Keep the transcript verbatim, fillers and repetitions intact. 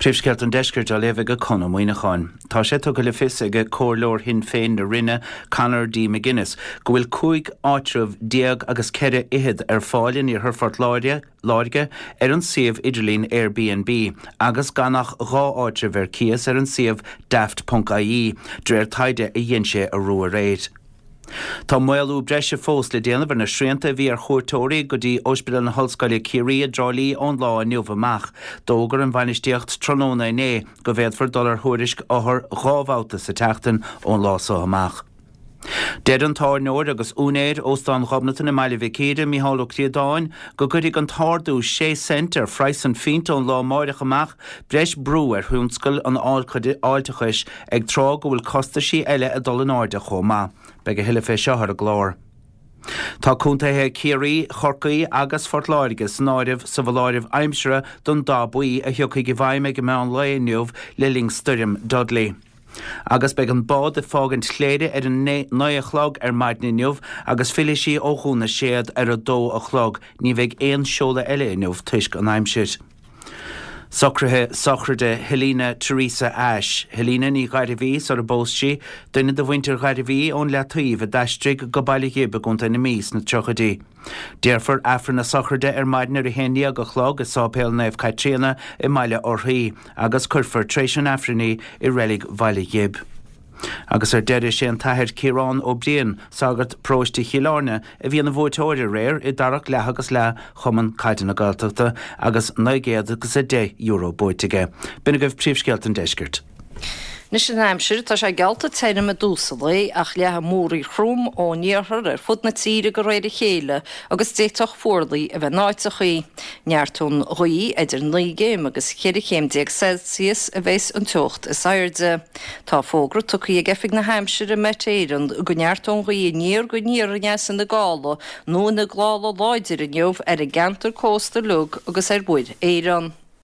Príomhscéalta an Deiscirt á léamh ag Conn Ó Muíneacháin. Tá sé tugtha le fios ag Comhairleoir Shinn Féin na Rinne Conor D. McGuinness go bhfuil cúig áitreabh déag agus ceithre fhichead ar fáil in iarthar Phort Láirge Láirge ar an suíomh idirlín Airbnb agus gan ach dhá áitreabh ar cíos ar an suíomh daft.ie de réir taighde a dhein sé arú aréir. Tá maolú breise fós le déanamh ar na srianta a bhí ar chuairteoirí go dtí Ospidéal na hOllscoile Ciarraí i dTrá Lí ón lá inniu amach. D'fhógair an bhainistíocht tráthnóna inné go bhféadfar dul ar thuairisc othar dhá bhabhta sa tseachtain ón lá seo amach. Deir an tábhairneoir agus úinéir Óstán Ghobnatan i mBaile Mhic Íre Micheál Ó Críodáin go gcuirfidh an t-ardú sé cent ar phraghas an phint ón lá amáireach amach breis brú ar thionscal an fháilteachais ag tráth go bhfuil costaisí eile ag dul in airde chomh maith. Beidh a thuilleadh fé seo ar an gclár. Tá contaetha Chiarraí, Chorcaí agus Phort Láirge san áireamh sa bhunáireamh aimsire don dath buí a thiocfaidh i bhfeidhm ag an meán lae inniu le linn stoirm Dudley. Agus beidh an bád ag fágaint Chléire ar an naoi a chlog ar maidin inniu agus fillfidh sí ó Dhún na Séad ar a dó a chlog. Ní bheidh aon seoladh eile inniu toisc an aimsir. Socruithe sochraide Helena Teresa Ashe, Helena Ní Ghairbhí sar a bpós sí, duine de mhuintir Ghairbhí ón Leataobh a d'aistrigh go Baile Ghib i gContae na Mí sna tríochaidí. Déarfar Aifreann na sochraide ar maidin ar a haon déag a chlog i Sáipéal Naomh Caitríona i mBaile Orthaí agus cuirfear tar éis an Aifrinn í i reilig Bhaile Ghib. Agus ar deireadh sé an tAthair Ciarán Ó Briain, sagart paróiste Chill Airne, a bhí ina bhuaiteoir aréir i dtarrac leath agus leath Chumann Caide na Gaeltachta agus naoi gcéad agus a deich euro buaite aige. B'in agaibh príomhscéalta an deiscirt. Anois an aimsir, tá sé geallta tirim i dtús an lae ach leathfaidh múraíl throm ón iarthar ar fud na tíre de réir a chéile agus d'fhéadfadh fuarlaigh a bheith in áiteachaí. Neartóidh an ghaoth idir naoi gcéim agus cheithre chéim déag Celsius a bheas an teocht is airde. Tá fógra tugtha ag Oifig na hAimsire Met Éireann go neartóidh an ghaoth aniar go aniar aneas ina gála nó ina gála láidir inniu ar an gceantar cósta uilig agus ar Mhuir Éireann.